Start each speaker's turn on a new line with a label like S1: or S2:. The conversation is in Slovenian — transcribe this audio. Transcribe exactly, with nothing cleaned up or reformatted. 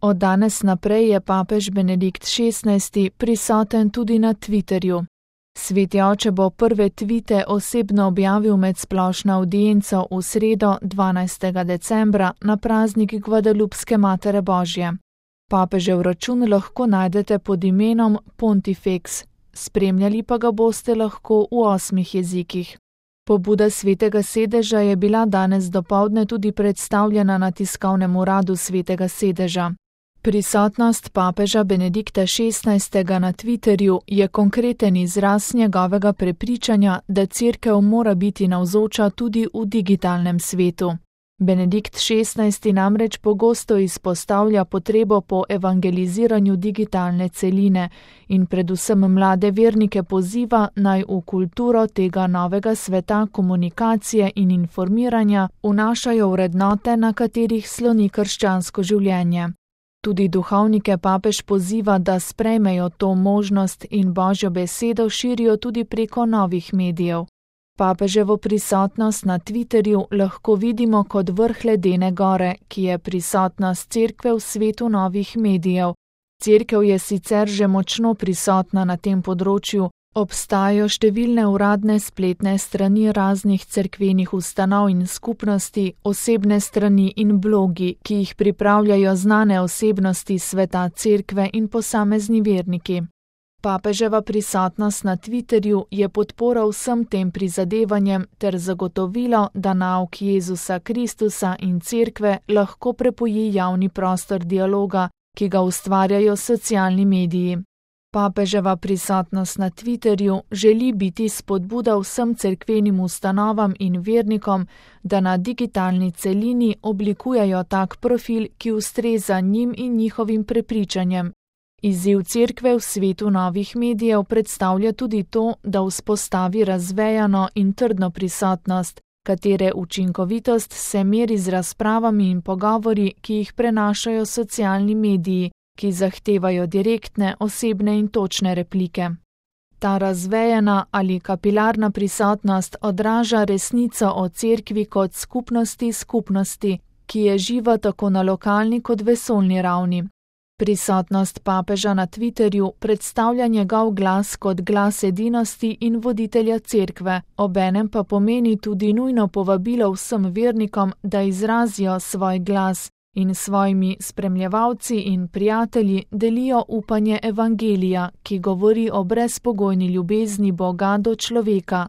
S1: Od danes naprej je papež Benedikt šestnajsti prisoten tudi na Twitterju. Sveti oče bo prve tvite osebno objavil med splošno avdienco v sredo dvanajstega decembra na praznik Gvadalupske Matere Božje. Papežev račun lahko najdete pod imenom Pontifex, spremljali pa ga boste lahko v osmih jezikih. Pobuda Svetega sedeža je bila danes dopoldne tudi predstavljena na tiskovnem uradu Svetega sedeža. Prisotnost papeža Benedikta šestnajstega na Twitterju je konkreten izraz njegovega prepričanja, da Cerkev mora biti navzoča tudi v digitalnem svetu. Benedikt šestnajsti namreč pogosto izpostavlja potrebo po evangeliziranju digitalne celine in predvsem mlade vernike poziva, naj v kulturo tega novega sveta komunikacije in informiranja vnašajo vrednote, na katerih sloni krščansko življenje. Tudi duhovnike papež poziva, da sprejmejo to možnost in Božjo besedo širijo tudi preko novih medijev. Papeževo prisotnost na Twitterju lahko vidimo kot vrh ledene gore, ki je prisotnost Cerkve v svetu novih medijev. Cerkev je sicer že močno prisotna na tem področju, obstajajo številne uradne spletne strani raznih cerkvenih ustanov in skupnosti, osebne strani in blogi, ki jih pripravljajo znane osebnosti sveta Cerkve in posamezni verniki. Papeževa prisotnost na Twitterju je podpora vsem tem prizadevanjem ter zagotovilo, da nauk Jezusa Kristusa in Cerkve lahko prepoji javni prostor dialoga, ki ga ustvarjajo socialni mediji. Papeževa prisotnost na Twitterju želi biti spodbuda vsem cerkvenim ustanovam in vernikom, da na digitalni celini oblikujejo tak profil, ki ustreza njim in njihovim prepričanjem. Izziv Cerkve v svetu novih medijev predstavlja tudi to, da vzpostavi razvejano in trdno prisotnost, katere učinkovitost se meri z razpravami in pogovori, ki jih prenašajo socialni mediji, ki zahtevajo direktne, osebne in točne replike. Ta razvejana ali kapilarna prisotnost odraža resnico o Cerkvi kot skupnosti skupnosti, ki je živa tako na lokalni kot vesoljni ravni. Prisotnost papeža na Twitterju predstavlja njegov glas kot glas edinosti in voditelja Cerkve, obenem pa pomeni tudi nujno povabilo vsem vernikom, da izrazijo svoj glas in svojimi spremljevalci in prijatelji delijo upanje evangelija, ki govori o brezpogojni ljubezni Boga do človeka,